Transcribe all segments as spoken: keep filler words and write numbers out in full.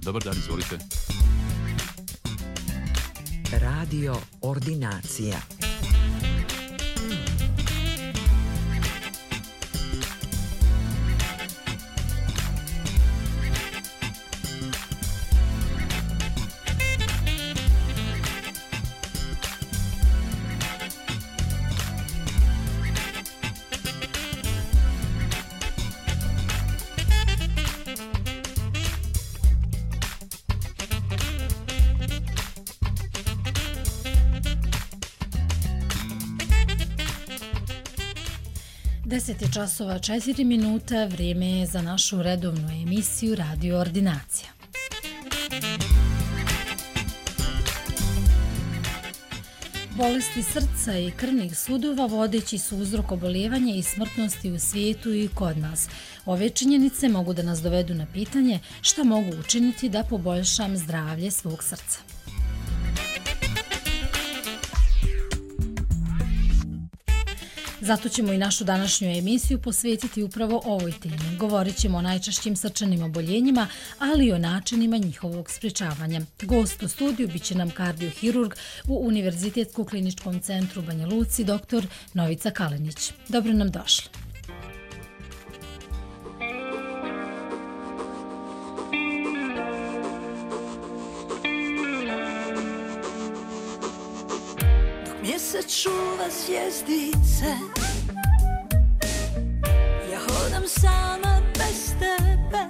Dobar dan, izvolite. Radio Ordinacija. deset je časova četiri minuta, vrijeme je za našu redovnu emisiju Radio Ordinacija. Bolesti srca i krvnih sudova vodeći su uzrok oboljevanja i smrtnosti u svijetu i kod nas. Ove činjenice mogu da nas dovedu na pitanje šta mogu učiniti da poboljšam zdravlje svog srca. Zato ćemo i našu današnju emisiju posvetiti upravo ovoj temi. Govorit ćemo o najčešćim srčanim oboljenjima, ali i o načinima njihovog sprječavanja. Gost u studiju bit će nam kardiohirurg u Univerzitetskom kliničkom centru u Banja Luci, doktor Novica Kalinić. Dobro nam došli. Mjesec čuva zvjezdice, ja hodam sama bez tebe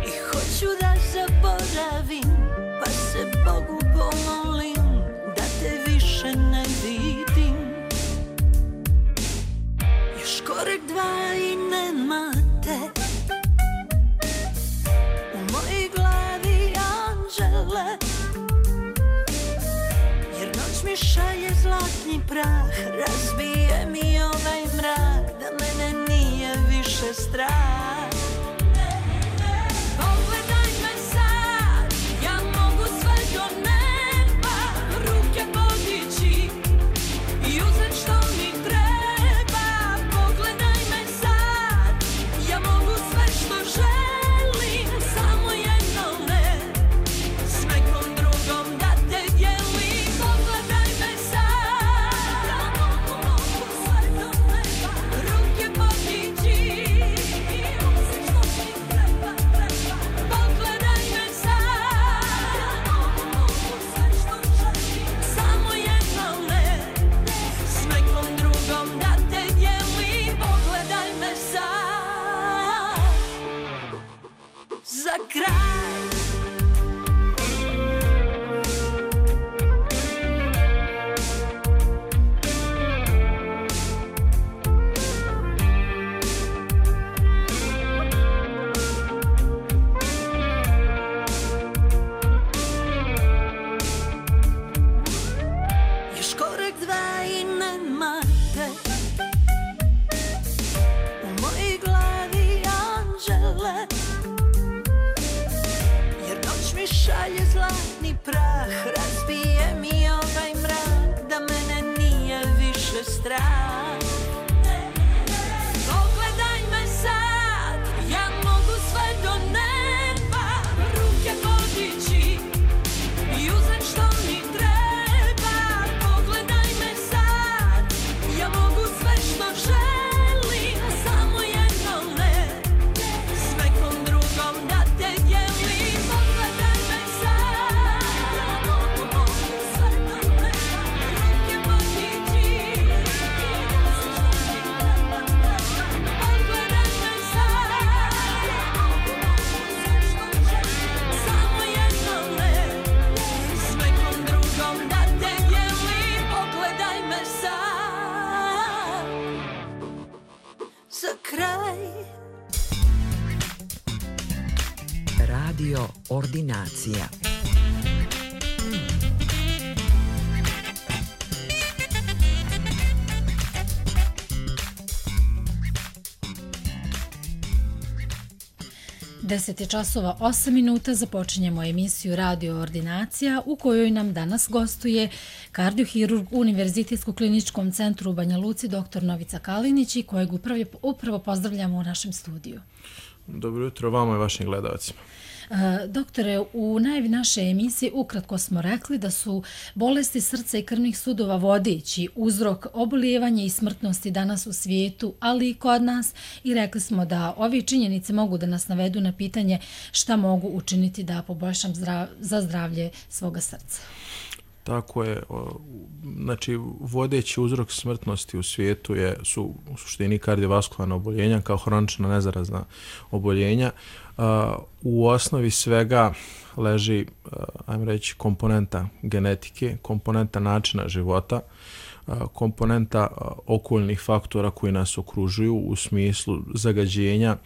i hoću da zaboravim, pa se Bogu pomolim da te više ne vidim. Još korek dva i nema te u mojoj glavi, anđele. Mi šalje zlatni prah, razbije mi ovaj mrak, da mene nije više strah. Pogledaj me sad, ja mogu sve do neba, ruke podići i uzet što mi treba. Pogledaj me sad, ja mogu sve što želim, samo jedno ne, s nekom drugom da te dijelim. Šalje zlatni prah, razbije mi ovaj mrak, da mene nije više strah. Pogledaj me sad, ja mogu sve do neba, ruke podići i uzet što mi treba. Pogledaj me sad, ja mogu sve što želim, samo jedno ne, s nekom drugom da te dijelim. Radio Ordinacija. deset je časova osam minuta, započinjemo emisiju Radio Ordinacija u kojoj nam danas gostuje kardiohirurg u Univerzitetskom kliničkom centru u Banja Luci, doktor Novica Kalinić, i kojeg upravo, upravo pozdravljamo u našem studiju. Dobro jutro vama i vašim gledalcima. E, doktore, u najavi naše emisije ukratko smo rekli da su bolesti srca i krvnih sudova vodeći uzrok obolijevanja i smrtnosti danas u svijetu, ali i kod nas, i rekli smo da ove činjenice mogu da nas navedu na pitanje šta mogu učiniti da poboljšam zdrav, za zdravlje svoga srca. Tako je, znači vodeći uzrok smrtnosti u svijetu je, su u suštini kardiovaskularna oboljenja kao hronična nezarazna oboljenja. U osnovi svega leži, ajmo reći, komponenta genetike, komponenta načina života, komponenta okoljnih faktora koji nas okružuju u smislu zagađenja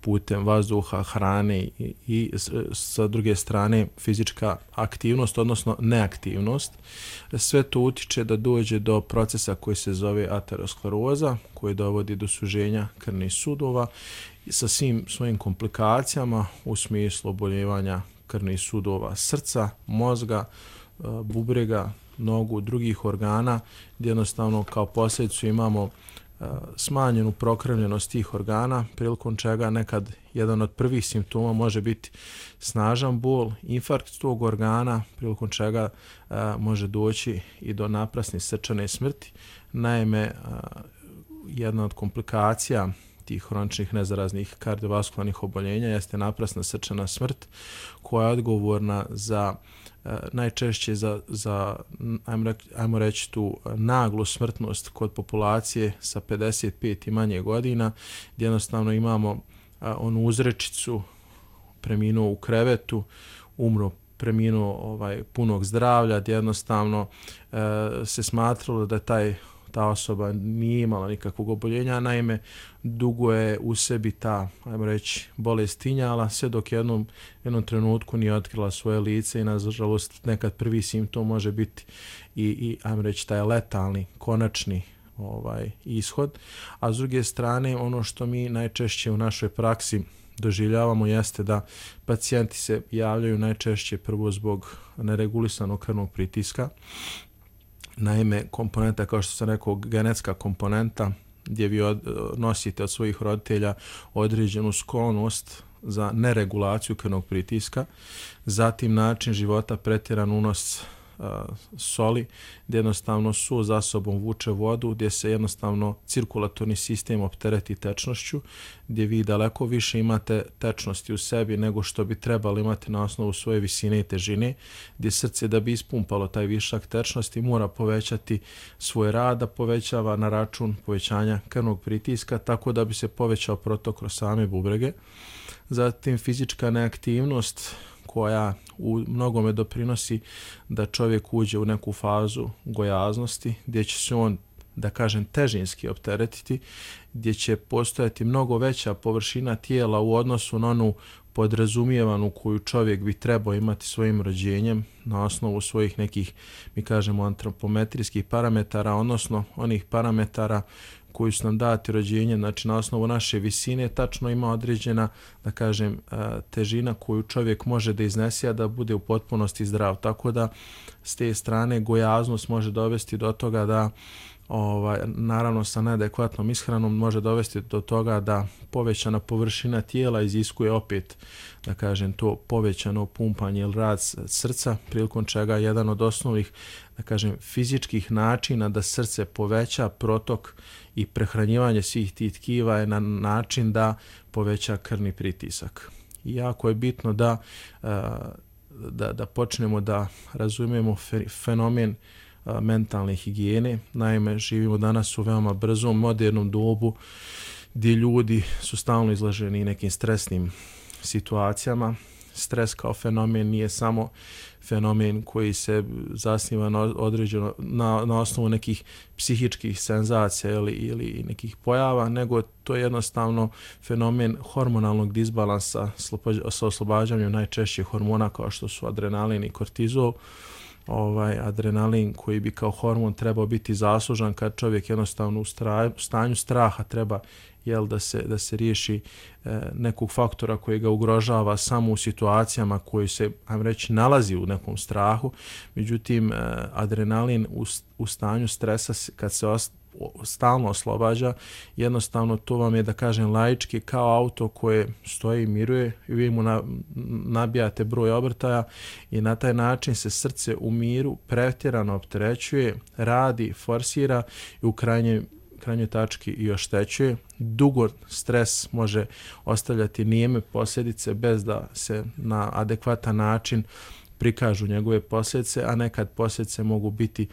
putem vazduha, hrane i, i sa druge strane fizička aktivnost, odnosno neaktivnost. Sve to utiče da dođe do procesa koji se zove ateroskleroza, koji dovodi do suženja krvnih sudova sa svim svojim komplikacijama u smislu oboljevanja krvnih sudova srca, mozga, bubrega, nogu, drugih organa, gdje jednostavno kao posljedicu imamo smanjenu prokrvljenost tih organa, prilikom čega nekad jedan od prvih simptoma može biti snažan bol, infarkt tog organa, prilikom čega a, može doći i do naprasne srčane smrti. Naime, a, jedna od komplikacija tih hroničnih nezaraznih kardiovaskularnih oboljenja jeste naprasna srčana smrt, koja je odgovorna za najčešće za, za ajmo, reći, ajmo reći tu naglu smrtnost kod populacije sa pedeset pet i manje godina, gdje jednostavno imamo a, onu uzrečicu preminuo u krevetu, umro preminuo ovaj, punog zdravlja, gdje jednostavno a, se smatralo da taj ta osoba nije imala nikakvog oboljenja, naime dugo je u sebi ta, ajmo reći, bolest tinjala, sve dok jednom, jednom trenutku nije otkrila svoje lice i nažalost nekad prvi simptom može biti i, i ajmo reći, taj letalni, konačni ovaj, ishod. A s druge strane, ono što mi najčešće u našoj praksi doživljavamo jeste da pacijenti se javljaju najčešće prvo zbog neregulisanog krvnog pritiska. Naime, komponenta, kao što sam rekao, genetska komponenta, gdje vi od, nosite od svojih roditelja određenu sklonost za neregulaciju krvnog pritiska, zatim način života, pretjeran unos a, soli, gdje jednostavno su za sobom vuče vodu, gdje se jednostavno cirkulatorni sistem optereti tečnošću, gdje vi daleko više imate tečnosti u sebi nego što bi trebali imati na osnovu svoje visine i težine, gdje srce da bi ispumpalo taj višak tečnosti mora povećati svoj rad, da povećava na račun povećanja krvnog pritiska, tako da bi se povećao protok kroz same bubrege. Zatim fizička neaktivnost koja u mnogome doprinosi da čovjek uđe u neku fazu gojaznosti, gdje će se on, da kažem, težinski opteretiti, gdje će postojati mnogo veća površina tijela u odnosu na onu podrazumijevanu koju čovjek bi trebao imati svojim rođenjem na osnovu svojih nekih, mi kažemo, antropometrijskih parametara, odnosno onih parametara koji su nam dati rođenjem, znači na osnovu naše visine tačno ima određena, da kažem, težina koju čovjek može da iznese, a da bude u potpunosti zdrav. Tako da s te strane gojaznost može dovesti do toga da, ovaj, naravno sa neadekvatnom ishranom, može dovesti do toga da povećana površina tijela iziskuje opet, da kažem, to povećano pumpanje ili rad srca, prilikom čega jedan od osnovnih, da kažem, fizičkih načina da srce poveća protok i prehranjivanje svih tih tkiva je na način da poveća krvni pritisak. I jako je bitno da, da, da počnemo da razumijemo fenomen mentalne higijene. Naime, živimo danas u veoma brzom, modernom dobu gdje ljudi su stalno izloženi nekim stresnim situacijama. Stres kao fenomen nije samo fenomen koji se zasniva na određeno na, na osnovu nekih psihičkih senzacija ili, ili nekih pojava, nego to je jednostavno fenomen hormonalnog disbalansa sa oslobađanjem najčešćih hormona kao što su adrenalin i kortizol. Ovaj adrenalin koji bi kao hormon trebao biti zaslužan kad čovjek jednostavno u, straju, u stanju straha treba, jel, da se da se riješi e, nekog faktora koji ga ugrožava samo u situacijama koji se, ajmo reći, nalazi u nekom strahu. Međutim, e, adrenalin u, u stanju stresa kad se stalno oslobađa. Jednostavno to vam je, da kažem laički, kao auto koje stoji i miruje i vi mu na, nabijate broj obrtaja i na taj način se srce u miru pretjerano opterećuje, radi, forsira i u krajnjoj krajnjoj tački i oštećuje. Dugo stres može ostavljati nijeme posljedice bez da se na adekvatan način prikažu njegove posljedice, a nekad posljedice mogu biti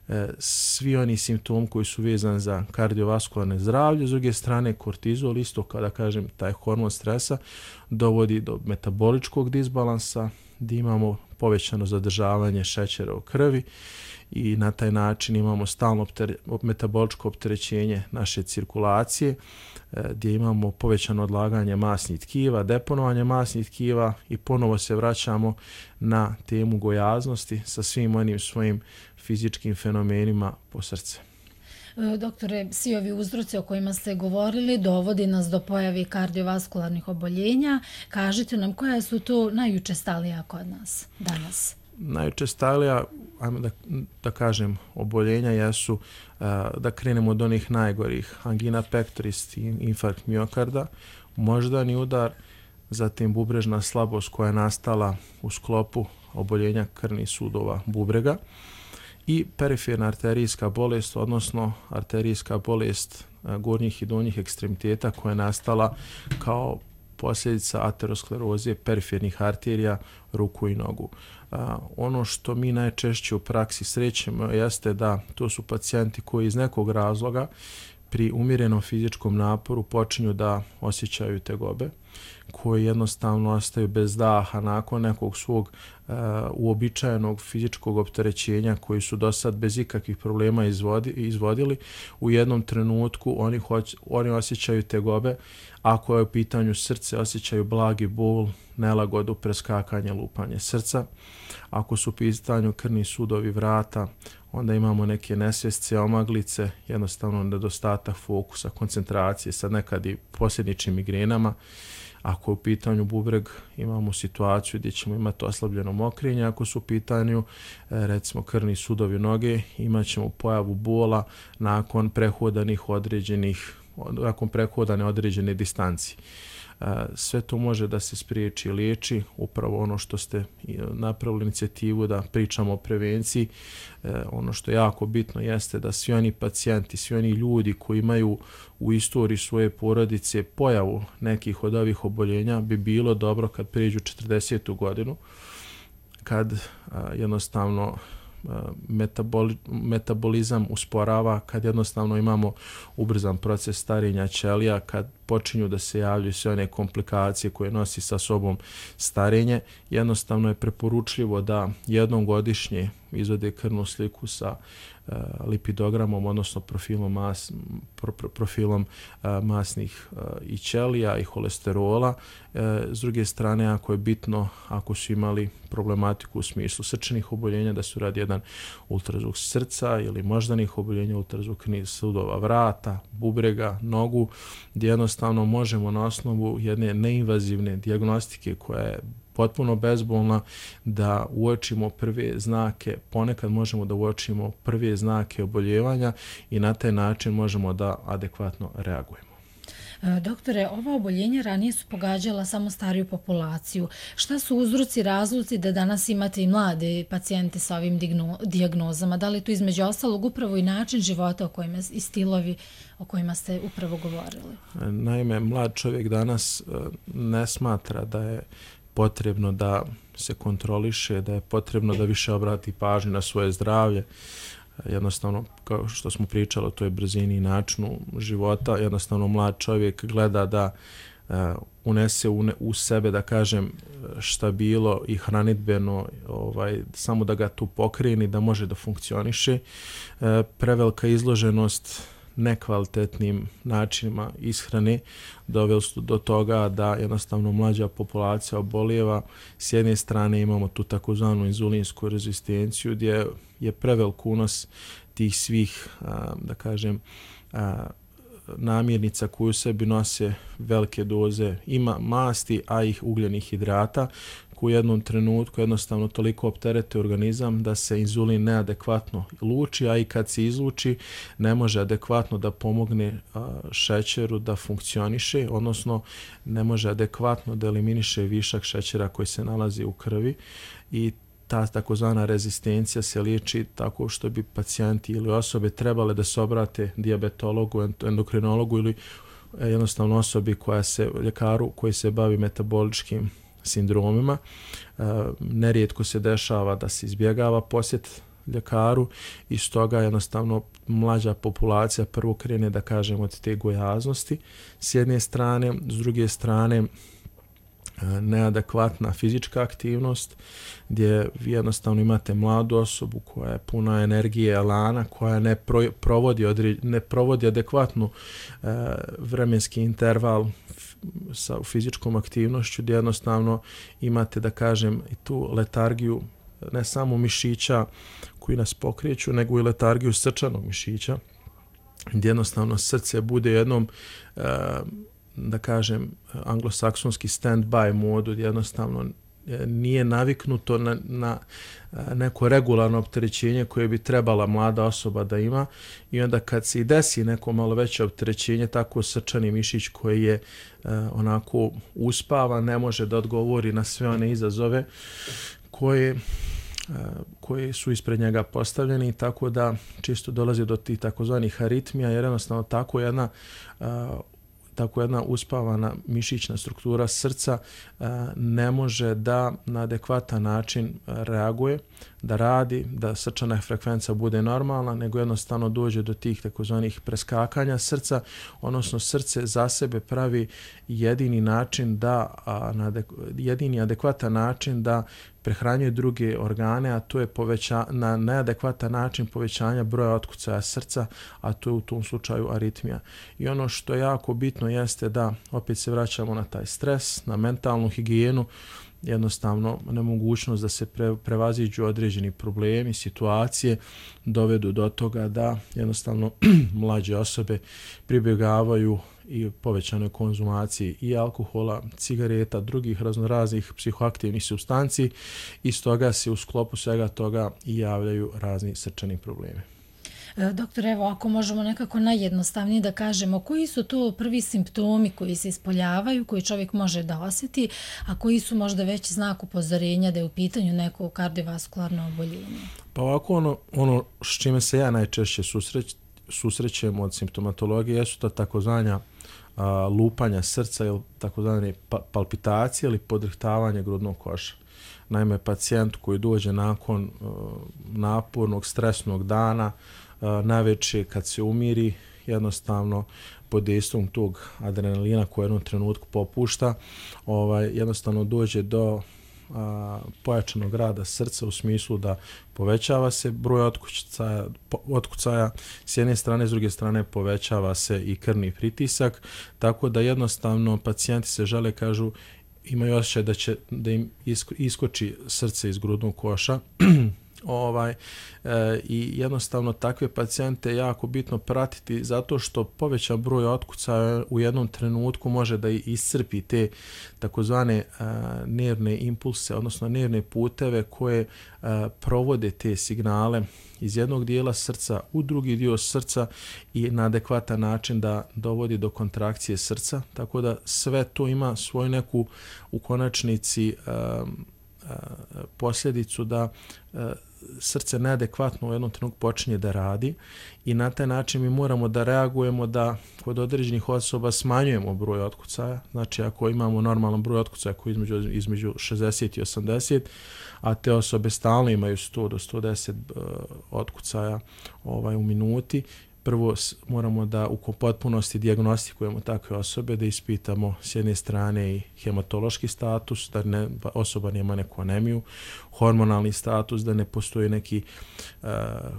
e, svi oni simptomi koji su vezani za kardiovaskularne zdravlje. S druge strane, kortizol, isto kao da kažem, taj hormon stresa, dovodi do metaboličkog disbalansa, gdje imamo povećano zadržavanje šećera u krvi i na taj način imamo stalno optere, metaboličko opterećenje naše cirkulacije, gdje imamo povećano odlaganje masnih tkiva, deponovanje masnih tkiva i ponovo se vraćamo na temu gojaznosti sa svim onim svojim fizičkim fenomenima po srce. Doktore, svi ovi uzroci o kojima ste govorili dovodi nas do pojave kardiovaskularnih oboljenja. Kažite nam koja su to najučestalija kod nas danas? Najučestalija, ajmo da, da kažem, oboljenja jesu, da krenemo od onih najgorih, angina pectoris, infarkt miokarda, moždani udar, zatim bubrežna slabost koja je nastala u sklopu oboljenja krvnih sudova bubrega i periferna arterijska bolest, odnosno arterijska bolest gornjih i donjih ekstremiteta koja je nastala kao posljedica ateroskleroze perifernih arterija ruku i nogu. A, ono što mi najčešće u praksi srećemo jeste da to su pacijenti koji iz nekog razloga pri umjerenom fizičkom naporu počinju da osjećaju tegobe, koji jednostavno ostaju bez daha nakon nekog svog uh, uobičajenog fizičkog opterećenja koji su do sad bez ikakvih problema izvodi, izvodili. U jednom trenutku oni, hoć, oni osjećaju tegobe, ako je u pitanju srce osjećaju blagi bol, nelagodu, preskakanje, lupanje srca. Ako su u pitanju krvni sudovi vrata, onda imamo neke nesvjesce, omaglice, jednostavno nedostatak fokusa, koncentracije, sad nekad i posljedičnim migrenama. Ako je u pitanju bubreg, imamo situaciju gdje ćemo imati oslabljeno mokrenje. Ako su u pitanju, recimo, krvni sudovi noge, imat ćemo pojavu bola nakon prehodanih određenih, nakon prehodane određene distancije. Sve to može da se spriječi i liječi, upravo ono što ste napravili inicijativu da pričamo o prevenciji. Ono što je jako bitno jeste da svi oni pacijenti, svi oni ljudi koji imaju u istoriji svoje porodice pojavu nekih od ovih oboljenja, bi bilo dobro kad prijeđu četrdesetu godinu, kad jednostavno Metaboli, metabolizam usporava, kad jednostavno imamo ubrzan proces starenja ćelija, kad počinju da se javljaju sve one komplikacije koje nosi sa sobom starenje, jednostavno je preporučljivo da jednom godišnje izvode krvnu sliku sa uh, lipidogramom, odnosno profilom, mas, pro, pro, profilom uh, masnih uh, i ćelija i holesterola. Uh, s druge strane, ako je bitno, ako su imali problematiku u smislu srčanih oboljenja, da su radi jedan ultrazvuk srca ili moždanih oboljenja, ultrazvuk krvnih sudova vrata, bubrega, nogu, gdje jednostavno možemo na osnovu jedne neinvazivne dijagnostike koja je potpuno bezbolna da uočimo prve znake, ponekad možemo da uočimo prve znake oboljevanja i na taj način možemo da adekvatno reagujemo. Doktore, ova oboljenja ranije su pogađala samo stariju populaciju. Šta su uzroci, razlozi da danas imate i mlade pacijente sa ovim dijagnozama? Da li to između ostalog upravo i način života o kojima, i stilovi o kojima ste upravo govorili? Naime, mlad čovjek danas ne smatra da je potrebno da se kontroliše, da je potrebno da više obrati pažnju na svoje zdravlje. Jednostavno, kao što smo pričali o toj brzini i načinu života, jednostavno mlad čovjek gleda da uh, unese u, ne, u sebe, da kažem, stabilo i hranidbeno, ovaj, samo da ga tu pokreni, da može da funkcioniše. Uh, prevelika izloženost nekvalitetnim načinima ishrane doveli su do toga da jednostavno mlađa populacija obolijeva. S jedne strane imamo tu takozvanu inzulinsku rezistenciju gdje je prevelik unos tih svih, da kažem, namirnica koje u sebi nose velike doze ima masti, a i ugljenih hidrata u jednom trenutku jednostavno toliko opterete organizam da se inzulin neadekvatno luči, a i kad se izluči ne može adekvatno da pomogne a, šećeru da funkcioniše, odnosno ne može adekvatno da eliminiše višak šećera koji se nalazi u krvi i ta takozvana rezistencija se liječi tako što bi pacijenti ili osobe trebale da se obrate dijabetologu, endokrinologu ili jednostavno osobi koja se, ljekaru koji se bavi metaboličkim sindromima. E, nerijetko se dešava da se izbjegava posjet ljekaru i stoga jednostavno mlađa populacija prvo krene, da kažemo, od te gojaznosti s jedne strane, s druge strane neadekvatna fizička aktivnost gdje vi jednostavno imate mladu osobu koja je puna energije, elana, koja ne pro, provodi, odri, ne provodi adekvatnu e, vremenski interval f, sa fizičkom aktivnošću gdje jednostavno imate, da kažem, i tu letargiju ne samo mišića koji nas pokreću, nego i letargiju srčanog mišića gdje jednostavno srce bude jednom e, da kažem, anglosaksonski stand-by modu, jednostavno nije naviknuto na, na neko regularno opterećenje koje bi trebala mlada osoba da ima i onda kad se i desi neko malo veće opterećenje, tako srčani mišić koji je uh, onako uspavan, ne može da odgovori na sve one izazove koje Uh, koji su ispred njega postavljeni, tako da čisto dolazi do tih takozvanih aritmija, jer jednostavno tako jedna uh, tako jedna uspavana mišićna struktura srca uh, ne može da na adekvatan način reaguje, da radi, da srčana frekvenca bude normalna, nego jednostavno dođe do tih takozvanih preskakanja srca, odnosno srce za sebe pravi jedini način da, a, na adek, jedini adekvatan način da prehranjuje druge organe, a to je poveća, na neadekvatan način povećanja broja otkucaja srca, a to je u tom slučaju aritmija. I ono što je jako bitno jeste da opet se vraćamo na taj stres, na mentalnu higijenu, jednostavno nemogućnost da se pre, prevaziđu određeni problemi, situacije, dovedu do toga da jednostavno mlađe osobe pribjegavaju i povećanoj konzumaciji i alkohola, cigareta, drugih raznoraznih psihoaktivnih supstanci i stoga se u sklopu svega toga i javljaju razni srčani problemi. Doktor, evo, ako možemo nekako najjednostavnije da kažemo, koji su to prvi simptomi koji se ispoljavaju, koji čovjek može da osjeti, a koji su možda već znak upozorenja da je u pitanju neko kardiovaskularno oboljenje? Pa ovako, ono, ono s čime se ja najčešće susreć, susrećem od simptomatologije jesu to takozvanja a, lupanja srca ili takozvane pa, palpitacije ili podrhtavanje grudnog koša. Naime, pacijent koji dođe nakon uh, napornog, stresnog dana, uh, navečer kad se umiri, jednostavno pod dejstvom tog adrenalina koji u jednom trenutku popušta, ovaj, jednostavno dođe do a, pojačanog rada srca u smislu da povećava se broj otkucaja, otkucaja s jedne strane, s druge strane povećava se i krvni pritisak, tako da jednostavno pacijenti se žale, kažu, imaju osjećaj da će da im isko, iskoči srce iz grudnog koša. ovaj e, i jednostavno takve pacijente je jako bitno pratiti zato što povećan broj otkucaja u jednom trenutku može da iscrpi te takozvane e, nervne impulse, odnosno nervne puteve koje e, provode te signale iz jednog dijela srca u drugi dio srca i na adekvatan način da dovodi do kontrakcije srca, tako da sve to ima svoju neku u konačnici e, posljedicu da e, srce neadekvatno u jednom trenutku počinje da radi i na taj način mi moramo da reagujemo da kod određenih osoba smanjujemo broj otkucaja. Znači ako imamo normalan broj otkucaja koji je između, između šezdeset i osamdeset, a te osobe stalno imaju sto do sto deset uh, otkucaja ovaj, u minuti, prvo moramo da u potpunosti dijagnostikujemo takve osobe, da ispitamo s jedne strane i hematološki status, da ne, osoba nema neku anemiju, hormonalni status, da ne postoji neki uh,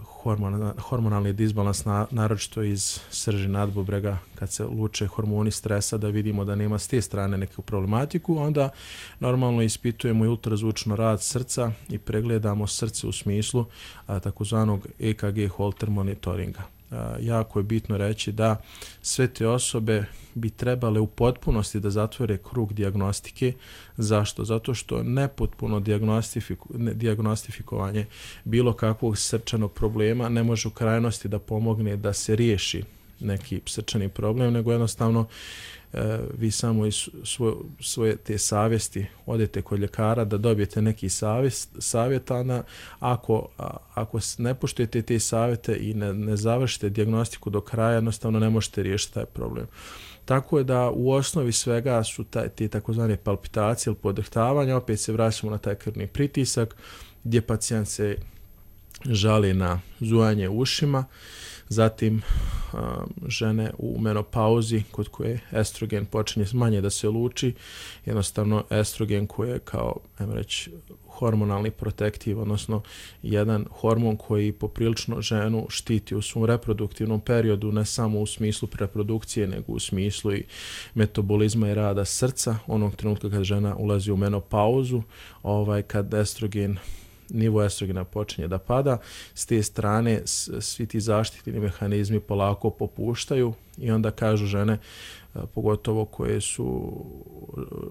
hormon, hormonalni disbalans, na, naročito iz srži nadbubrega, kad se luče hormoni stresa, da vidimo da nema s te strane neku problematiku, onda normalno ispitujemo i ultrazvučno rad srca i pregledamo srce u smislu uh, takozvanog E K G Holter monitoringa. jako je bitno reći da sve te osobe bi trebale u potpunosti da zatvore krug dijagnostike. Zašto? Zato što nepotpuno dijagnostifikovanje bilo kakvog srčanog problema ne može u krajnosti da pomogne da se riješi neki srčani problem, nego jednostavno e, vi samo iz svoje, svoje te savjesti odete kod ljekara da dobijete neki savjet, savjetana. Ako, a, ako ne poštujete te savjete i ne, ne završite dijagnostiku do kraja, jednostavno ne možete riješiti taj problem. Tako je da u osnovi svega su taj, te takozvane palpitacije ili podrhtavanja. Opet se vraćamo na taj krvni pritisak gdje pacijent se žali na zujanje ušima. Zatim um, žene u menopauzi kod koje estrogen počinje manje da se luči, jednostavno estrogen koji je kao, ajmo reći, hormonalni protektiv, odnosno jedan hormon koji poprilično ženu štiti u svom reproduktivnom periodu, ne samo u smislu reprodukcije, nego u smislu i metabolizma i rada srca. Onog trenutka kad žena ulazi u menopauzu, ovaj, kad estrogen nivo estrogena počinje da pada, s te strane svi ti zaštitni mehanizmi polako popuštaju i onda kažu žene, pogotovo koje su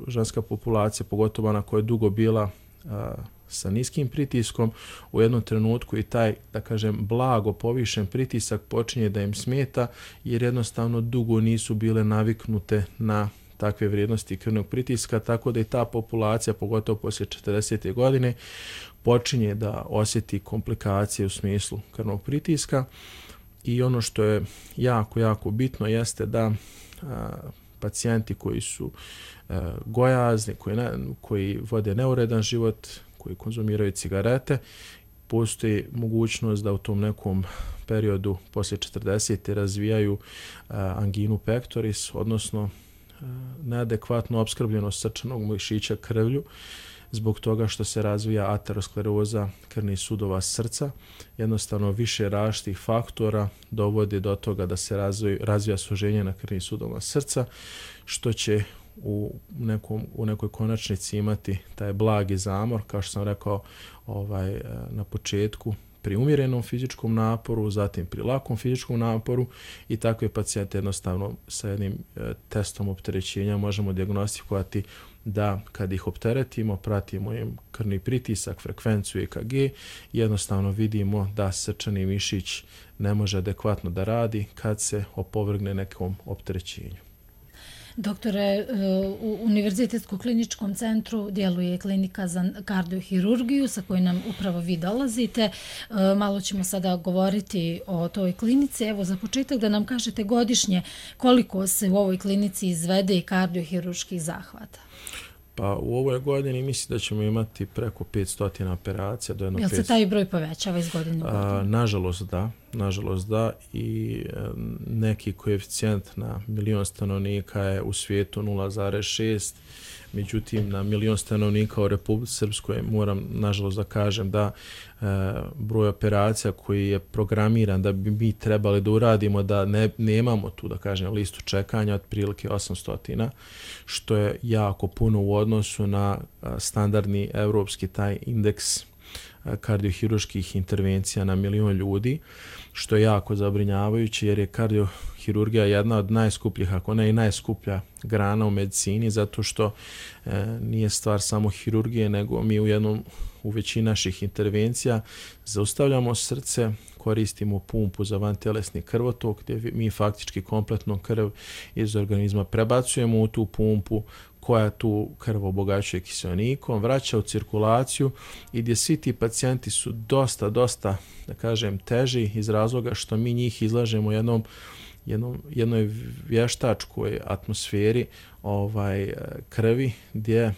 ženska populacija, pogotovo ona koja je dugo bila a, sa niskim pritiskom, u jednom trenutku i taj, da kažem, blago povišen pritisak počinje da im smeta jer jednostavno dugo nisu bile naviknute na takve vrijednosti krvnog pritiska, tako da i ta populacija, pogotovo poslije četrdesete godine, počinje da osjeti komplikacije u smislu krvnog pritiska. I ono što je jako, jako bitno jeste da a, pacijenti koji su a, gojazni, koji, ne, koji vode neuredan život, koji konzumiraju cigarete, postoji mogućnost da u tom nekom periodu poslije četrdesete razvijaju a, anginu pectoris, odnosno neadekvatnu opskrbljenost srčanog mišića krvlju zbog toga što se razvija ateroskleroza krvnih sudova srca. Jednostavno više različitih faktora dovodi do toga da se razvija, razvija suženje na krvnih sudova srca, što će u, nekom, u nekoj konačnici imati taj blagi zamor, kao što sam rekao ovaj, na početku, pri umjerenom fizičkom naporu, zatim pri lakom fizičkom naporu i takve pacijente jednostavno sa jednim e, testom opterećenja možemo dijagnostikovati da kad ih opteretimo, pratimo im krvni pritisak, frekvenciju E K G, jednostavno vidimo da srčani mišić ne može adekvatno da radi kad se opovrgne nekom opterećenju. Doktore, u Univerzitetskom kliničkom centru djeluje klinika za kardiohirurgiju sa kojoj nam upravo vi dolazite. Malo ćemo sada govoriti o toj klinici. Evo za početak da nam kažete godišnje koliko se u ovoj klinici izvede kardiohirurških zahvata. Pa u ovoj godini mislim da ćemo imati preko petsto operacija. Do jedno Jel se petsto... taj broj povećava iz godine u godinu? A, nažalost da, nažalost da i e, neki koeficijent na milion stanovnika je u svijetu nula zarez šest, međutim na milion stanovnika u Republici Srpskoj moram nažalost da kažem da e, broj operacija koji je programiran da bi mi trebali da uradimo da ne, nemamo tu da kažem listu čekanja otprilike osamsto, što je jako puno u odnosu na a, standardni evropski taj indeks kardiohirurških intervencija na milion ljudi, što je jako zabrinjavajuće jer je kardiohirurgija jedna od najskupljih, ako ne i najskuplja grana u medicini, zato što e, nije stvar samo hirurgije, nego mi u jednom u većini naših intervencija zaustavljamo srce, koristimo pumpu za vantelesni krvotok gdje mi faktički kompletno krv iz organizma prebacujemo u tu pumpu koja tu krv obogaćuje kiseonikom, vraća u cirkulaciju i gdje svi ti pacijenti su dosta, dosta, da kažem, teži iz razloga što mi njih izlažemo jednom, jednom, jednoj vještačkoj atmosferi ovaj, krvi gdje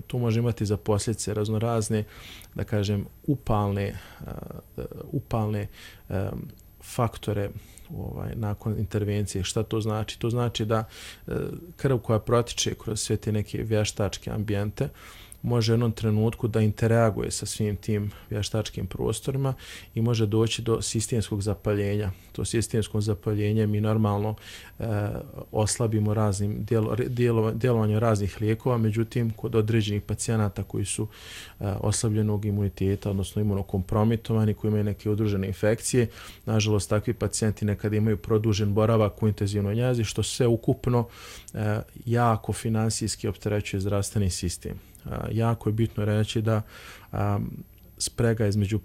tu može imati za posljedice raznorazne, da kažem, upalne, uh, upalne um, faktore ovaj, nakon intervencije. Šta to znači? To znači da uh, krv koja protiče kroz sve te neke vještačke ambijente može u jednom trenutku da interaguje sa svim tim vještačkim prostorima i može doći do sistemskog zapaljenja. To sistemsko zapaljenje mi normalno e, oslabimo raznim djelo, djelo, djelovanjem raznih lijekova, međutim kod određenih pacijenata koji su e, oslabljenog imuniteta, odnosno imunokompromitovani, koji imaju neke udružene infekcije, nažalost takvi pacijenti nekad imaju produžen boravak u intenzivnoj njezi, što sve ukupno e, jako finansijski opterećuje zdravstveni sistem. A, jako je bitno reći da a, sprega između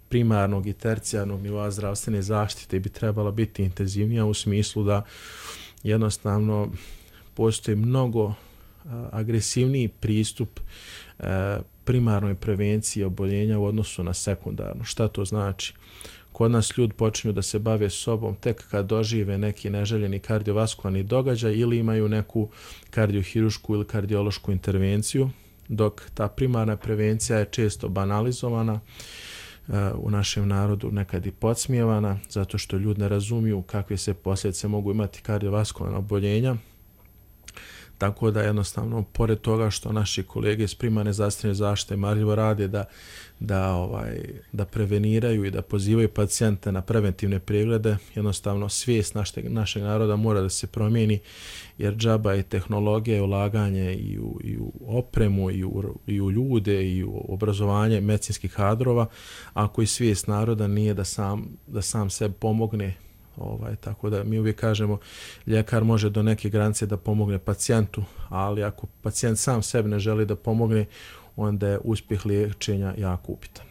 primarnog i tercijarnog nivoa zdravstvene zaštite bi trebala biti intenzivnija u smislu da jednostavno postoji mnogo a, agresivniji pristup a, primarnoj prevenciji oboljenja u odnosu na sekundarno. Šta to znači? Kod nas ljudi počinju da se bave sobom tek kad dožive neki neželjeni kardiovaskularni događaj ili imaju neku kardiohirušku ili kardiološku intervenciju, dok ta primarna prevencija je često banalizovana, u našem narodu nekad i podsmijevana, zato što ljudi ne razumiju kakve se posljedice mogu imati kardiovaskularna oboljenja. Tako da jednostavno, pored toga što naši kolege iz primarne zdravstvene zaštite marljivo rade da, da, ovaj, da preveniraju i da pozivaju pacijente na preventivne preglede, jednostavno svijest našeg, našeg naroda mora da se promijeni, jer džaba i tehnologija i ulaganje i u, i u opremu i u, i u ljude i u obrazovanje medicinskih kadrova, ako i svijest naroda nije da sam, da sam sebi pomogne. Ovaj, tako da mi uvijek kažemo ljekar može do neke granice da pomogne pacijentu, ali ako pacijent sam sebi ne želi da pomogne, onda je uspjeh liječenja jako upitan.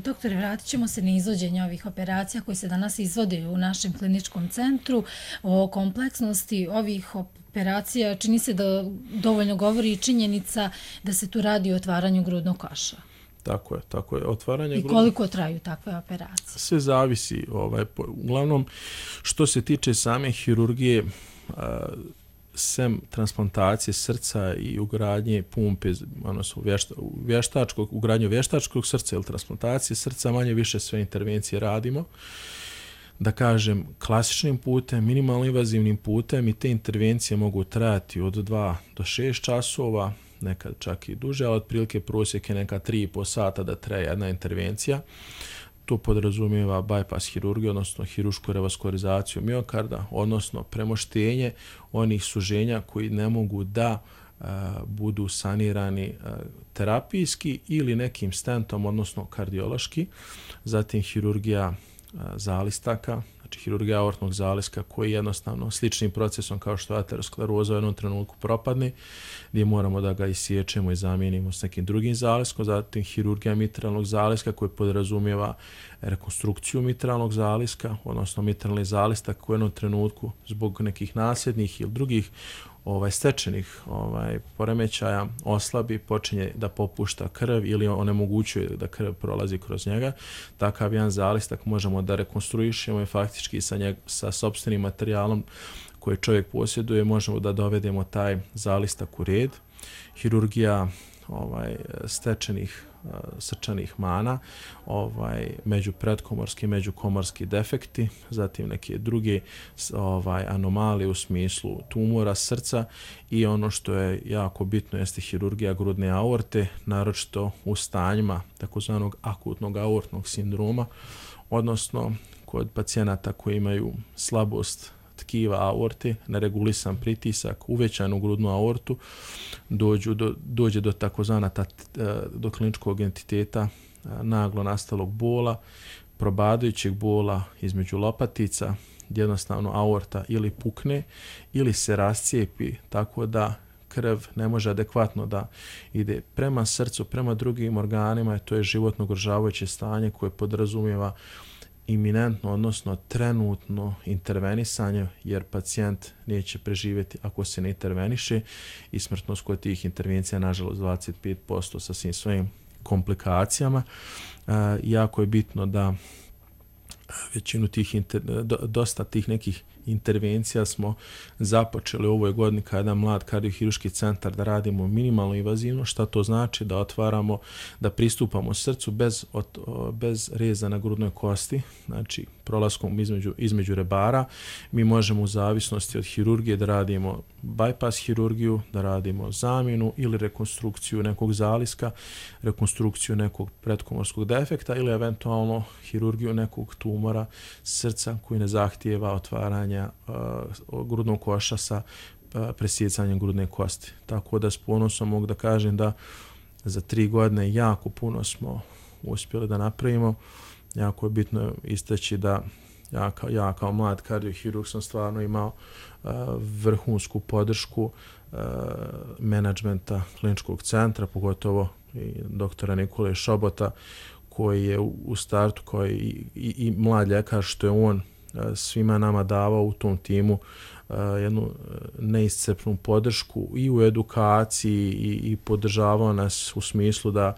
Doktore, vratit ćemo se na izvođenje ovih operacija koji se danas izvode u našem kliničkom centru. O kompleksnosti ovih operacija čini se da dovoljno govori i činjenica da se tu radi o otvaranju grudnog koša. Tako je, tako je. Otvaranje I koliko grudnog... traju takve operacije? Sve zavisi. Ovaj, uglavnom, što se tiče same hirurgije, a, sem transplantacije srca i ugradnje pumpe, odnosno vješta, vještačkog, ugradnje vještačkog srca ili transplantacije srca, manje više sve intervencije radimo. Da kažem, klasičnim putem, minimalno invazivnim putem, i te intervencije mogu trajati od dva do šest časova, nekad čak i duže, ali otprilike prosjek je neka tri i po sata da traje jedna intervencija. To podrazumijeva bypass hirurgiju, odnosno hirušku revaskurizaciju miokarda, odnosno premoštenje onih suženja koji ne mogu da a, budu sanirani a, terapijski ili nekim stentom, odnosno kardiološki. Zatim hirurgija a, zalistaka, znači hirurgija aortnog zaliska, koji jednostavno sličnim procesom kao što ateroskleroza u jednom trenutku propadne, gdje moramo da ga isječemo i zamijenimo s nekim drugim zaliskom. Zatim hirurgija mitralnog zaliska, koji podrazumijeva rekonstrukciju mitralnog zaliska, odnosno mitralni zalistak koji u jednom trenutku zbog nekih nasljednih ili drugih ovaj stečenih ovaj poremećaja oslabi, počinje da popušta krv ili onemogućuje da krv prolazi kroz njega. Takav jedan zalistak možemo da rekonstruišemo i faktički sa, njeg, sa sopstvenim materijalom koji čovjek posjeduje možemo da dovedemo taj zalistak u red. Hirurgija ovaj stečenih uh, srčanih mana, ovaj među predkomorski, međukomorski defekti, zatim neke druge ovaj anomalije u smislu tumora srca i ono što je jako bitno jeste hirurgija grudne aorte, naročito u stanjima takozvanog akutnog aortnog sindroma, odnosno kod pacijenata koji imaju slabost tkiva aorte, neregulisan pritisak, uvećanu grudnu aortu, dođu do, dođe do takozvana ta, do kliničkog entiteta naglo nastalog bola, probadajućeg bola između lopatica, gdje jednostavno aorta ili pukne ili se rascijepi tako da krv ne može adekvatno da ide prema srcu, prema drugim organima, i to je životno ugrožavajuće stanje koje podrazumijeva iminentno, odnosno trenutno intervenisanje, jer pacijent neće preživjeti ako se ne interveniše i smrtnost kod tih intervencija nažalost dvadeset pet posto sa svim svojim komplikacijama. E, jako je bitno da većinu tih, inter, do, dosta tih nekih intervencija smo započeli u ovoj godini kao jedan mlad kardiohirurški centar da radimo minimalno invazivno. Šta to znači? Da otvaramo, da pristupamo srcu bez, od, bez reza na grudnoj kosti, znači prolaskom između, između rebara. Mi možemo u zavisnosti od hirurgije da radimo bypass hirurgiju, da radimo zamjenu ili rekonstrukciju nekog zaliska, rekonstrukciju nekog pretkomorskog defekta ili eventualno hirurgiju nekog tumora srca koji ne zahtijeva otvaranja uh, grudnog koša sa uh, presjecanjem grudne kosti. Tako da s ponosom mogu da kažem da za tri godine jako puno smo uspjeli da napravimo. Jako je bitno istaći da ja kao, ja kao mlad kardiohirurg sam stvarno imao uh, vrhunsku podršku uh, menadžmenta kliničkog centra, pogotovo i doktora Nikole Šobota, koji je u, u startu, koji i, i, i mlad ljekar, što je on uh, svima nama davao u tom timu uh, jednu uh, neiscrpnu podršku i u edukaciji i, i podržavao nas u smislu da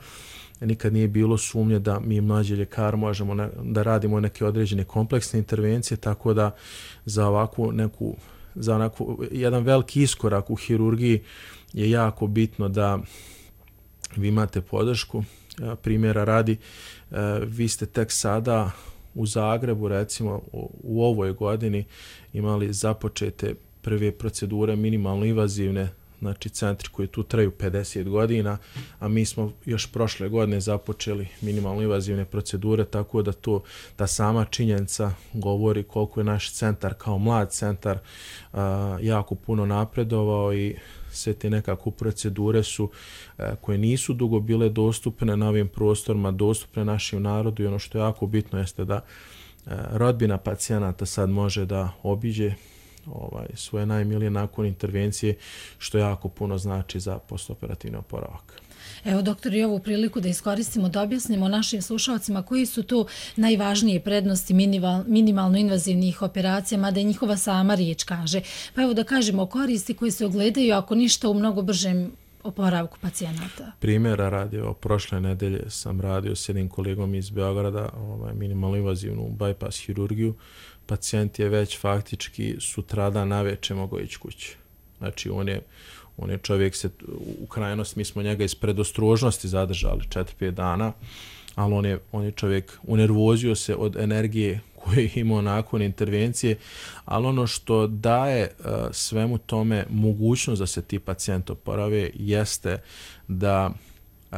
nikad nije bilo sumnje da mi mlađi ljekar možemo ne, da radimo neke određene kompleksne intervencije, tako da za ovakvu neku, za onakvu, jedan veliki iskorak u hirurgiji je jako bitno da vi imate podršku. Primjera radi, vi ste tek sada u Zagrebu, recimo u ovoj godini, imali započete prve procedure minimalno invazivne, znači centri koji tu traju pedeset godina, a mi smo još prošle godine započeli minimalno invazivne procedure, tako da to, da sama činjenica govori koliko je naš centar kao mlad centar a, jako puno napredovao i sve te nekako procedure su a, koje nisu dugo bile dostupne na ovim prostorima, dostupne našem narodu, i ono što je jako bitno jeste da a, rodbina pacijenata sad može da obiđe ovaj, svoje najmilije nakon intervencije, što jako puno znači za postoperativni oporavak. Evo, doktor, i ovu priliku da iskoristimo, da objasnimo našim slušalcima koji su tu najvažnije prednosti minimal, minimalno invazivnih operacija, mada je njihova sama riječ kaže. Pa evo da kažemo koristi koje se ogledaju, ako ništa, u mnogo bržem oporavku pacijenata. Primjera radi, o prošle nedelje sam radio s jednim kolegom iz Beograda, ovaj, minimalno invazivnu bypass hirurgiju. Pacijent je već faktički sutradan naveče mogao ići kući. Znači, on je, on je čovjek se, u krajnost, mi smo njega iz predostrožnosti zadržali četiri pet dana, ali on je, on je čovjek unervozio se od energije koju je imao nakon intervencije, ali ono što daje uh, svemu tome mogućnost da se ti pacijenti oporave jeste da uh,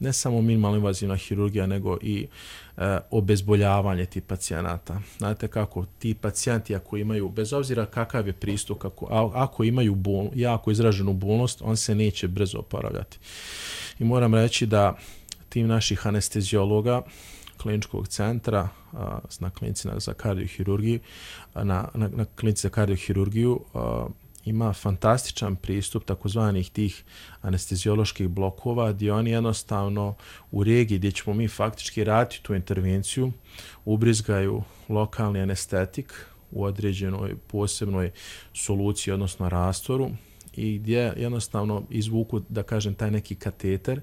ne samo minimalno invazivna hirurgija, nego i e, obezboljavanje tih pacijenata. Znate kako, ti pacijenti ako imaju, bez obzira kakav je pristup, kako, a, ako imaju bol, jako izraženu bolnost, on se neće brzo oporavljati. I moram reći da tim naših anesteziologa kliničkog centra a, na klinici za kardiohirurgiju, na, na, na klinici za kardiohirurgiju a, ima fantastičan pristup takozvanih tih anestezioloških blokova, gdje oni jednostavno u regiji gdje ćemo mi faktički raditi tu intervenciju, ubrizgaju lokalni anestetik u određenoj posebnoj soluciji, odnosno rastvoru, i gdje jednostavno izvuku, da kažem, taj neki kateter,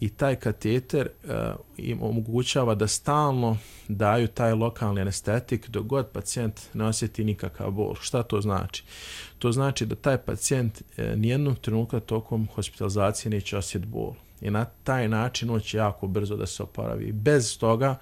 i taj kateter uh, im omogućava da stalno daju taj lokalni anestetik dok god pacijent ne osjeti nikakav bol. Šta to znači? To znači da taj pacijent uh, nijednog trenutka tokom hospitalizacije neće osjetiti bol. I na taj način on će jako brzo da se oporavi. Bez toga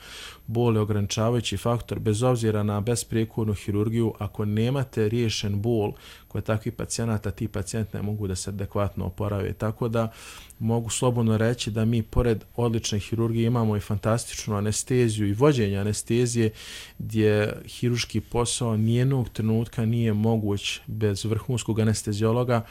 bol je ograničavajući faktor, bez obzira na besprijekornu hirurgiju. Ako nemate riješen bol kod takvih pacijenata, ti pacijenti ne mogu da se adekvatno oporave. Tako da mogu slobodno reći da mi pored odlične hirurgije imamo i fantastičnu anesteziju i vođenje anestezije, gdje hirurški posao nijednog trenutka nije moguć bez vrhunskog anesteziologa.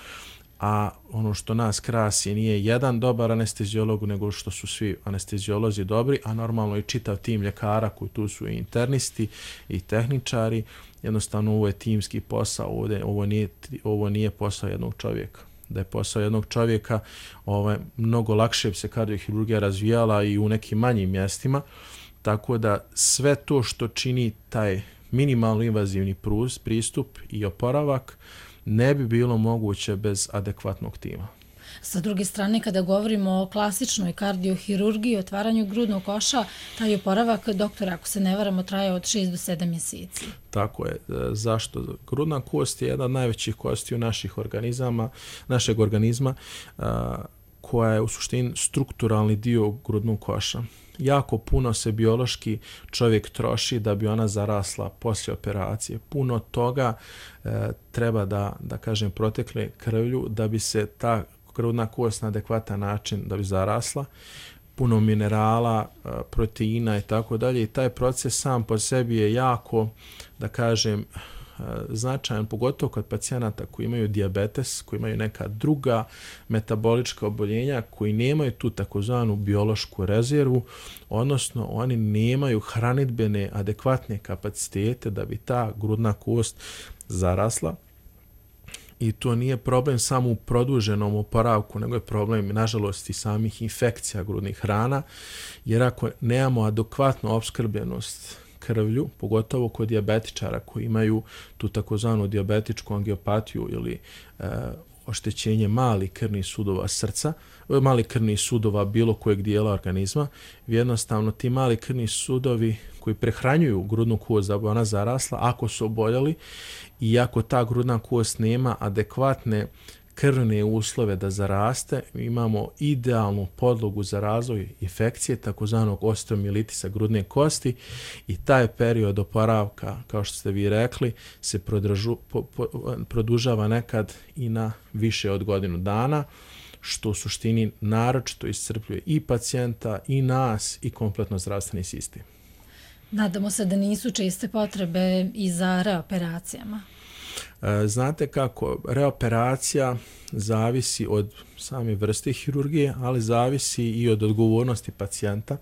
A ono što nas krasi nije jedan dobar anesteziolog, nego što su svi anesteziolozi dobri, a normalno i čitav tim ljekara koji tu su i internisti i tehničari. Jednostavno ovo je timski posao, ovdje, ovo, nije, ovo nije posao jednog čovjeka. Da je posao jednog čovjeka, ovaj, mnogo lakše bi se kardiohirurgija razvijala i u nekim manjim mjestima, tako da sve to što čini taj minimalno invazivni pristup i oporavak ne bi bilo moguće bez adekvatnog tima. Sa druge strane, kada govorimo o klasičnoj kardiohirurgiji, otvaranju grudnog koša, taj oporavak, doktora, ako se ne varamo, traje od šest do sedam mjeseci. Tako je. Zašto? Grudna kost je jedna od najvećih kosti u naših organizama, našeg organizma, koja je u suštini strukturalni dio grudnog koša. Jako puno se biološki čovjek troši da bi ona zarasla poslije operacije. Puno toga e, treba da, da kažem, protekle krvlju da bi se ta grudna kost na adekvatan način da bi zarasla. Puno minerala, e, proteina i tako dalje. I taj proces sam po sebi je jako, da kažem, značajan, pogotovo kod pacijenata koji imaju dijabetes, koji imaju neka druga metabolička oboljenja, koji nemaju tu takozvanu biološku rezervu, odnosno oni nemaju hranidbene adekvatne kapacitete da bi ta grudna kost zarasla. I to nije problem samo u produženom oporavku, nego je problem, nažalost, i samih infekcija grudnih hrana, jer ako nemamo adekvatnu opskrbljenost krvlju, pogotovo kod dijabetičara koji imaju tu takozvanu dijabetičku angiopatiju ili e, oštećenje malih krvnih sudova srca, malih krvnih sudova bilo kojeg dijela organizma, jednostavno ti mali krvni sudovi koji prehranjuju grudnu kost da bi ona zarasla, ako su oboljeli i ako ta grudna kost nema adekvatne krvne uslove da zaraste, imamo idealnu podlogu za razvoj infekcije, takozvanog osteomilitisa grudne kosti, i taj period oporavka, kao što ste vi rekli, se prodražu, po, po, produžava nekad i na više od godinu dana, što u suštini naročito iscrpljuje i pacijenta, i nas, i kompletno zdravstveni sistem. Nadamo se da nisu česte potrebe i za reoperacijama. Znate kako, reoperacija zavisi od same vrste hirurgije, ali zavisi i od odgovornosti pacijenta.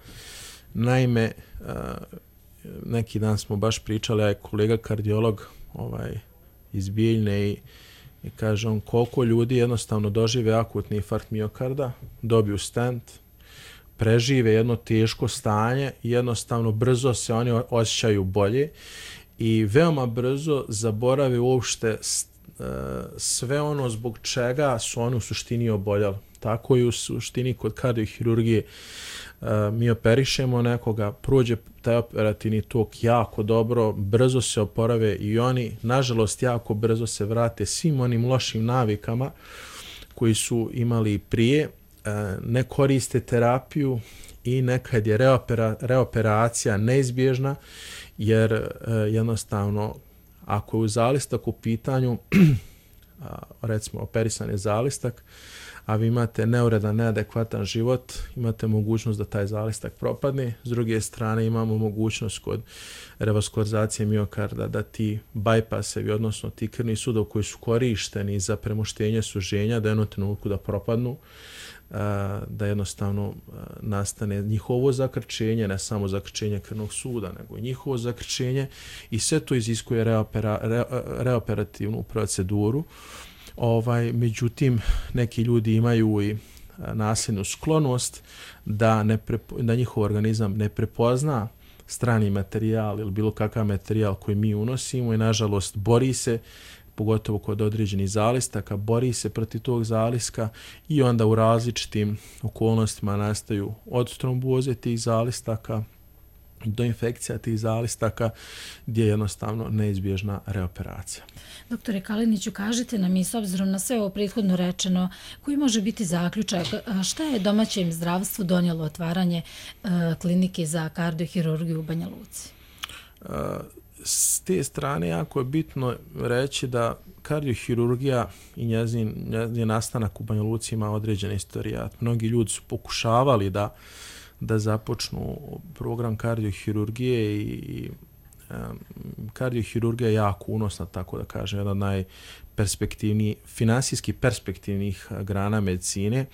Naime, neki dan smo baš pričali, a je kolega kardiolog ovaj, iz Bijeljne i, i kaže on koliko ljudi jednostavno dožive akutni infarkt miokarda, dobiju stent, prežive jedno teško stanje i jednostavno brzo se oni osjećaju bolje i veoma brzo zaborave uopšte sve ono zbog čega su oni u suštini oboljali. Tako i u suštini kod kardiohirurgije mi operišemo nekoga, prođe taj operativni tok jako dobro, brzo se oporave i oni, nažalost, jako brzo se vrate svim onim lošim navikama koji su imali prije, ne koriste terapiju i nekad je reopera, reoperacija neizbježna, jer jednostavno ako je u zalistak u pitanju, recimo operisan je zalistak, a vi imate neuredan, neadekvatan život, imate mogućnost da taj zalistak propadne. S druge strane imamo mogućnost kod revaskularizacije miokarda da ti bajpasevi, odnosno ti krvni sudovi koji su korišteni za premoštenje suženja, da jednom trenutku da propadnu, da jednostavno nastane njihovo zakrčenje, ne samo zakrčenje krvnog suda, nego i njihovo zakrčenje, i sve to iziskuje reopera, re, reoperativnu proceduru. Ovaj, međutim, neki ljudi imaju i nasljednu sklonost da, ne prepo, da njihov organizam ne prepozna strani materijal ili bilo kakav materijal koji mi unosimo i nažalost bori se, pogotovo kod određenih zalistaka, bori se protiv tog zaliska i onda u različitim okolnostima nastaju od tromboze tih zalistaka do infekcija tih zalistaka gdje je jednostavno neizbježna reoperacija. Doktore Kaliniću, kažite nam i s obzirom na sve ovo prethodno rečeno, koji može biti zaključak, šta je domaćem zdravstvu donijelo otvaranje uh, klinike za kardiohirurgiju u Banja Luci? Uh, s te strane jako je bitno reći da kardiohirurgija i njezin, njezin nastanak u Banja Luci ima određen istorijat. Mnogi ljudi su pokušavali da da započnu program kardiohirurgije i, i um, kardiohirurgija je jako unosna, tako da kažem, jedna od najperspektivnijih, finansijski perspektivnih grana medicine,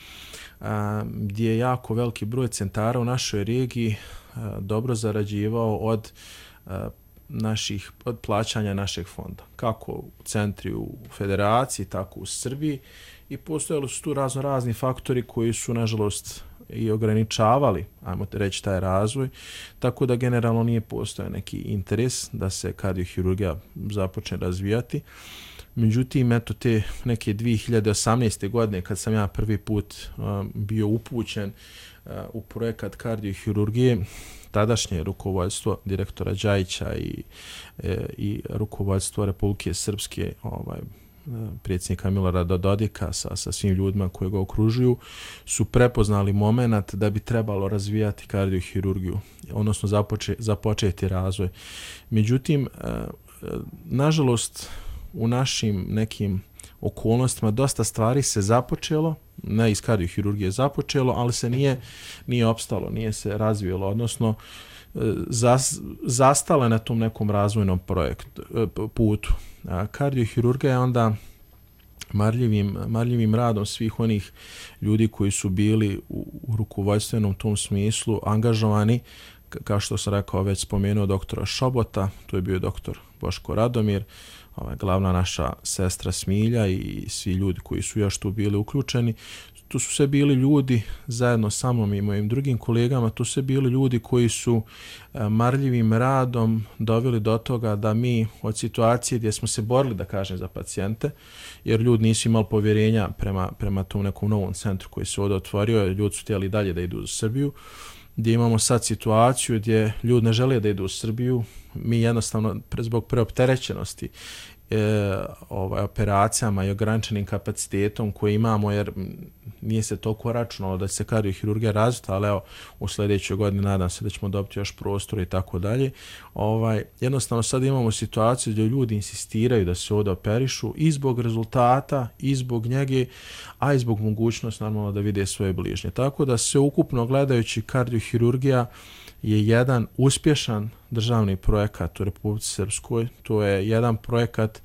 um, gdje je jako veliki broj centara u našoj regiji uh, dobro zarađivao od uh, naših, od plaćanja našeg fonda, kako u centri u federaciji, tako u Srbiji, i postojali su tu razno razni faktori koji su, nažalost, i ograničavali, ajmo reći, taj razvoj, tako da generalno nije postojao neki interes da se kardiohirurgija započne razvijati. Međutim, eto te neke dvije hiljade osamnaeste. godine kad sam ja prvi put um, bio upućen uh, u projekat kardiohirurgije, tadašnje rukovodstvo direktora Đajića i, e, i rukovodstvo Republike Srpske, ovaj, predsjednika Milorada Dodika sa, sa svim ljudima koji ga okružuju, su prepoznali moment da bi trebalo razvijati kardiohirurgiju, odnosno započe, započeti razvoj. Međutim, nažalost, u našim nekim okolnostima dosta stvari se započelo, ne iz kardiohirurgije započelo, ali se nije, nije opstalo, nije se razvijelo, odnosno zas, zastala na tom nekom razvojnom projektu, putu. A kardiohirurgija je onda marljivim, marljivim radom svih onih ljudi koji su bili u, u rukovodstvenom tom smislu angažovani, kao što sam rekao, već spomenuo doktora Šobota, tu je bio doktor Boško Radomir, ovaj, glavna naša sestra Smilja i svi ljudi koji su još tu bili uključeni. Tu su sve bili ljudi, zajedno sa mnom i mojim drugim kolegama, tu su sve bili ljudi koji su marljivim radom doveli do toga da mi od situacije gdje smo se borili, da kažem, za pacijente, jer ljudi nisu imali povjerenja prema, prema tom nekom novom centru koji se ovdje otvorio, ljudi su htjeli dalje da idu u Srbiju, gdje imamo sad situaciju gdje ljudi ne žele da idu u Srbiju, mi jednostavno zbog preopterećenosti E, ovaj, operacijama i ograničenim kapacitetom koji imamo, jer nije se toliko računalo da će se kardiohirurgija razviti, ali evo, u sljedećoj godini nadam se da ćemo dobiti još prostora i tako dalje. Ovaj, jednostavno sad imamo situaciju gdje ljudi insistiraju da se ovdje operišu i zbog rezultata, i zbog njege, a i zbog mogućnosti normalno da vide svoje bližnje. Tako da se ukupno gledajući kardiohirurgija je jedan uspješan državni projekat u Republici Srpskoj. To je jedan projekat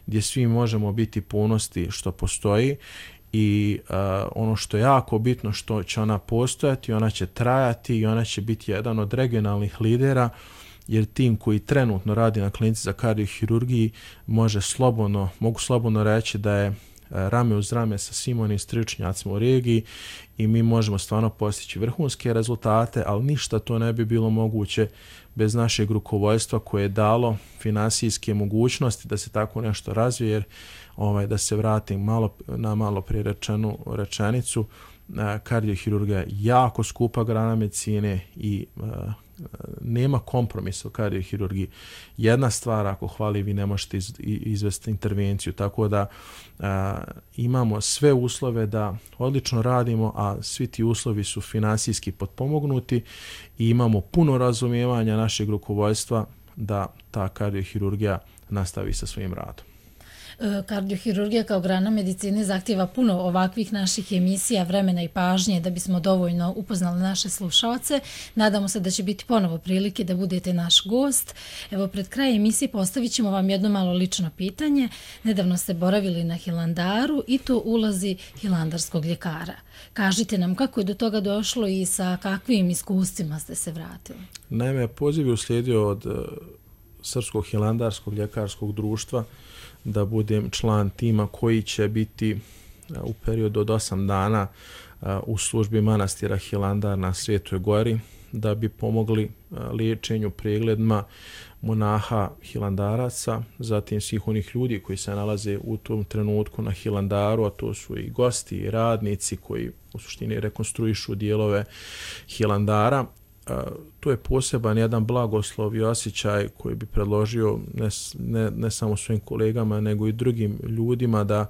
gdje svi možemo biti ponosni što postoji i uh, ono što je jako bitno, što će ona postojati, ona će trajati i ona će biti jedan od regionalnih lidera, jer tim koji trenutno radi na klinici za kardiohirurgiji može slobodno, mogu slobodno reći da je rame uz rame sa svim onim stručnjacima u regiji i mi možemo stvarno postići vrhunske rezultate, ali ništa to ne bi bilo moguće bez našeg rukovodstva koje je dalo finansijske mogućnosti da se tako nešto razvije, jer ovaj, da se vratim malo, na malo prije rečenu rečenicu, kardiohirurgija je jako skupa grana medicine i uh, nema kompromisa u kardiohirurgiji. Jedna stvar, ako hvali, vi ne možete iz, izvesti intervenciju, tako da a, imamo sve uslove da odlično radimo, a svi ti uslovi su finansijski potpomognuti i imamo puno razumijevanja našeg rukovodstva da ta kardiohirurgija nastavi sa svojim radom. Kardiohirurgija kao grana medicine zahtjeva puno ovakvih naših emisija, vremena i pažnje da bismo dovoljno upoznali naše slušalce. Nadamo se da će biti ponovo prilike da budete naš gost. Evo, pred kraj emisije postavit ćemo vam jedno malo lično pitanje. Nedavno ste boravili na Hilandaru i to ulazi hilandarskog ljekara. Kažite nam kako je do toga došlo i sa kakvim iskustvima ste se vratili. Naime, poziv je uslijedio od uh, Srpskog hilandarskog ljekarskog društva da budem član tima koji će biti u periodu od osam dana u službi manastira Hilandar na Svetoj Gori, da bi pomogli liječenju, pregledima monaha hilandaraca, zatim svih onih ljudi koji se nalaze u tom trenutku na Hilandaru, a to su i gosti i radnici koji u suštini rekonstruišu dijelove Hilandara. To je poseban jedan blagoslov i osjećaj koji bi predložio ne, ne, ne samo svojim kolegama, nego i drugim ljudima da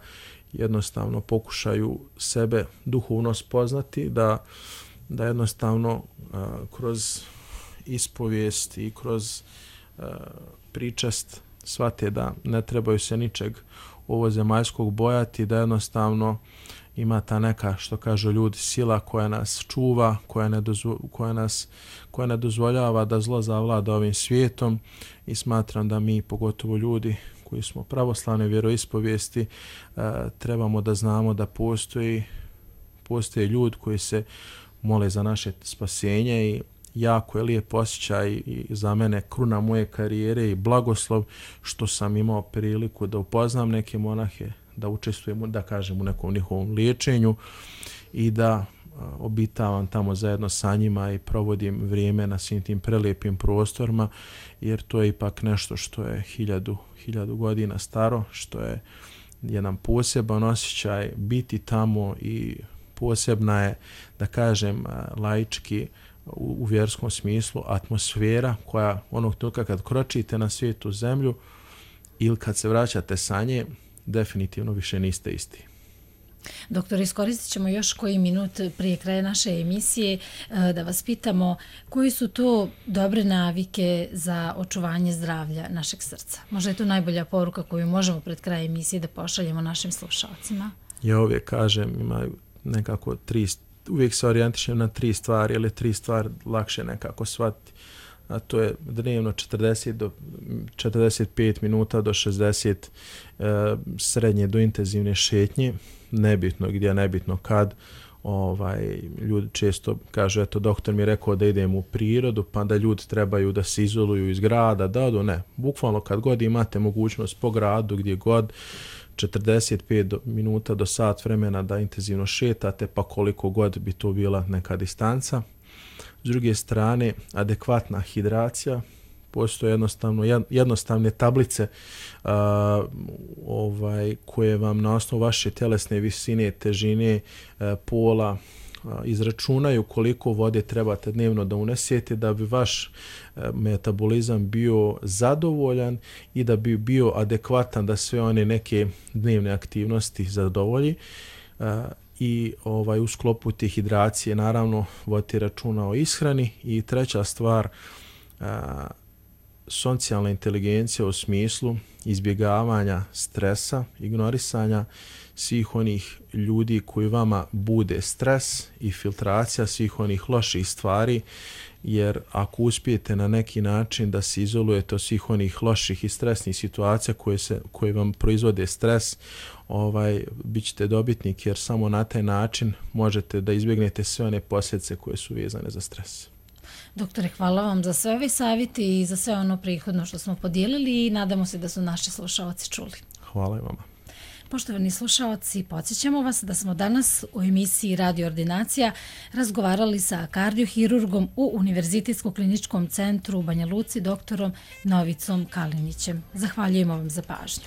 jednostavno pokušaju sebe duhovno spoznati, da, da jednostavno a, kroz ispovijest i kroz a, pričast shvate da ne trebaju se ničeg ovozemaljskog bojati, da jednostavno ima ta neka, što kažu ljudi, sila koja nas čuva, koja ne, dozvo, koja nas, koja ne dozvoljava da zlo zavlada ovim svijetom i smatram da mi, pogotovo ljudi koji smo pravoslavne vjeroispovijesti, e, trebamo da znamo da postoji, postoje ljudi koji se mole za naše spasenje i jako je lijep osjećaj i za mene kruna moje karijere i blagoslov što sam imao priliku da upoznam neke monahe, da učestvujem, da kažem, u nekom njihovom liječenju i da obitavam tamo zajedno sa njima i provodim vrijeme na svim tim prelijepim prostorima, jer to je ipak nešto što je hiljadu, hiljadu godina staro, što je jedan poseban osjećaj biti tamo i posebna je, da kažem, laički u, u vjerskom smislu atmosfera koja onog trenutka kad kročite na svijetu zemlju ili kad se vraćate sa nje, definitivno više niste isti. Doktor, iskoristit ćemo još koji minut prije kraja naše emisije da vas pitamo koji su to dobre navike za očuvanje zdravlja našeg srca. Možda je to najbolja poruka koju možemo pred kraj emisije da pošaljemo našim slušalcima. Ja uvijek kažem, imaju nekako tri, uvijek se orijentišem na tri stvari, ili tri stvari lakše nekako shvatiti. A to je dnevno četrdeset do četrdeset pet minuta do šezdeset e, srednje do intenzivne šetnje, nebitno gdje, nebitno kad. Ovaj, ljudi često kažu, eto, doktor mi je rekao da idem u prirodu, pa da ljudi trebaju da se izoluju iz grada, da odu, ne. Bukvalno kad god imate mogućnost po gradu, gdje god, četrdeset pet do, minuta do sat vremena da intenzivno šetate, pa koliko god bi to bila neka distanca. S druge strane, adekvatna hidracija, postoje jednostavno, jednostavne tablice uh, ovaj, koje vam na osnovu vaše telesne visine, težine, uh, pola uh, izračunaju koliko vode trebate dnevno da unesete da bi vaš uh, metabolizam bio zadovoljan i da bi bio adekvatan da sve one neke dnevne aktivnosti zadovolji. Uh, i ovaj, u sklopu te hidracije naravno voditi računa o ishrani. I treća stvar, a, socijalna inteligencija u smislu izbjegavanja stresa, ignorisanja svih onih ljudi koji vama bude stres i filtracija svih onih loših stvari, jer ako uspijete na neki način da se izolujete od svih onih loših i stresnih situacija koje, se, koje vam proizvode stres, ovaj, bit ćete dobitnik, jer samo na taj način možete da izbjegnete sve one posljedice koje su vezane za stres. Doktore, hvala vam za sve ove savjeti i za sve ono prihodno što smo podijelili i nadamo se da su naši slušalci čuli. Hvala i vama. Poštovani slušalci, podsjećamo vas da smo danas u emisiji Radio Ordinacija razgovarali sa kardiohirurgom u Univerzitetskom kliničkom centru u Banja Luci, doktorom Novicom Kalinićem. Zahvaljujemo vam za pažnju.